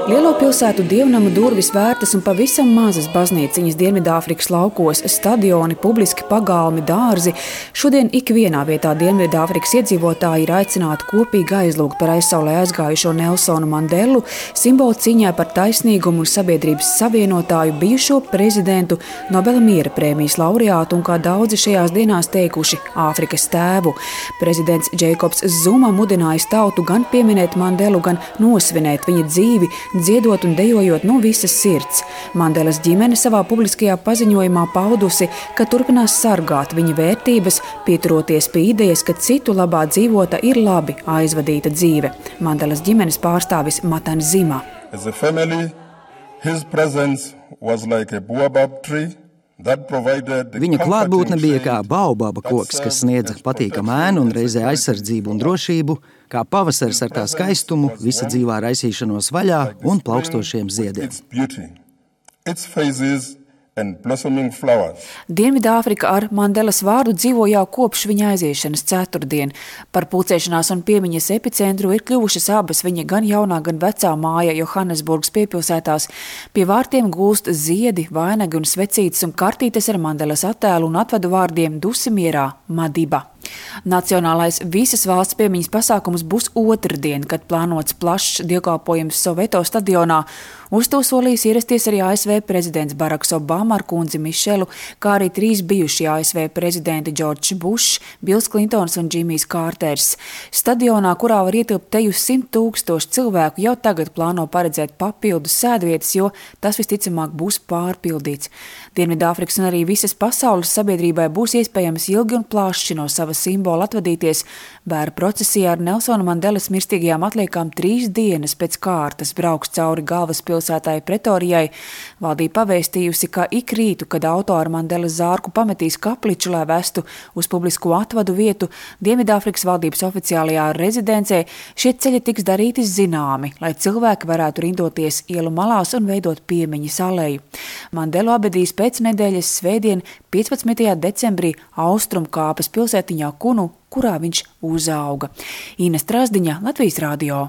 Lielo pilsētu dievnamu durvis vērtas un pavisam mazas baznīciņas Dienvidāfrikas laukos, stadioni, publiski pagalmi, dārzi. Šodien ikvienā vietā Dienvidāfrikas iedzīvotāji ir aicināti kopīgi aizlūgt par aizsaulē aizgājušo Nelsonu Mandelu, simbolu cīņā par taisnīgumu un sabiedrības savienotāju, bijušo prezidentu, Nobela miera prēmijas laureātu un, kā daudzi šajās dienās teikuši, Āfrikas tēvu. Prezidents Džeikobs Zuma mudinājis tautu gan pieminēt Mandelu, gan nosvinēt viņa dzīvi, dziedot un dejojot no visas sirds. Mandelas ģimene savā publiskajā paziņojumā paudusi, ka turpinās sargāt viņa vērtības, pieturoties pie idejas, ka citu labā dzīvota ir labi aizvadīta dzīve. Mandelas ģimenes pārstāvis Matan Zima. As a family, his presence was like a baobab tree. Viņa klātbūtne bija kā baobaba koks, kas sniedza patīkamu ēnu un reizē aizsardzību un drošību, kā pavasaris ar tā skaistumu, visa dzīvā raisīšanos vaļā un plaukstošiem ziediem. Dienvidāfrika ar Mandelas vārdu dzīvo jau kopš viņa aiziešanas ceturtdien. Par pulcēšanās un piemiņas epicentru ir kļuvušas abas viņa gan jaunā, gan vecā māja Johannesburgas piepilsētās. Pie vārtiem gūst ziedi, vainagi un svecītes un kartītes ar Mandelas attēlu un atvadu vārdiem Dusimierā Madiba. Nacionālais visas valsts piemiņas pasākums būs otrdien, kad plānots plašs dievkalpojums Soveto stadionā. Uz to solījis ierasties arī ASV prezidents Baraks Obama ar kundzi Mišelu, kā arī 3 bijušie ASV prezidenti Džordžs Bušs, Bils Klintons un Džimijs Kārters. Stadionā, kurā var ietilpt teju 100 000 cilvēku, jau tagad plāno paredzēt papildus sēdvietas, jo tas visticamāk būs pārpildīts. Dienvidāfrikas un arī visas pasaules sabiedrībai būs iespējams ilgi un plaši no sava simbola atvadīties. Bēra procesijā ar Nelsona Mandelas mirstīgajām atliekām 3 dienas pēc kārtas brauks cauri galvaspilsētai Pretorijai. Valdība pavēstījusi, ka ik rītu, kad auto ar Mandelas zārku pametīs kapliču, lai vestu uz publisko atvadu vietu, Dienvidāfrikas valdības oficiālajā rezidencē, šie ceļi tiks darīti zināmi, lai cilvēki varētu rindoties ielu malās un veidot piemiņas aleju. Mandelu abedīs pēc nedēļas svētdien 15. decembrī Austrumkāpas pilsētiņā Kunu, kurā viņš uzauga. Ines Trasdiņa, Latvijas radio.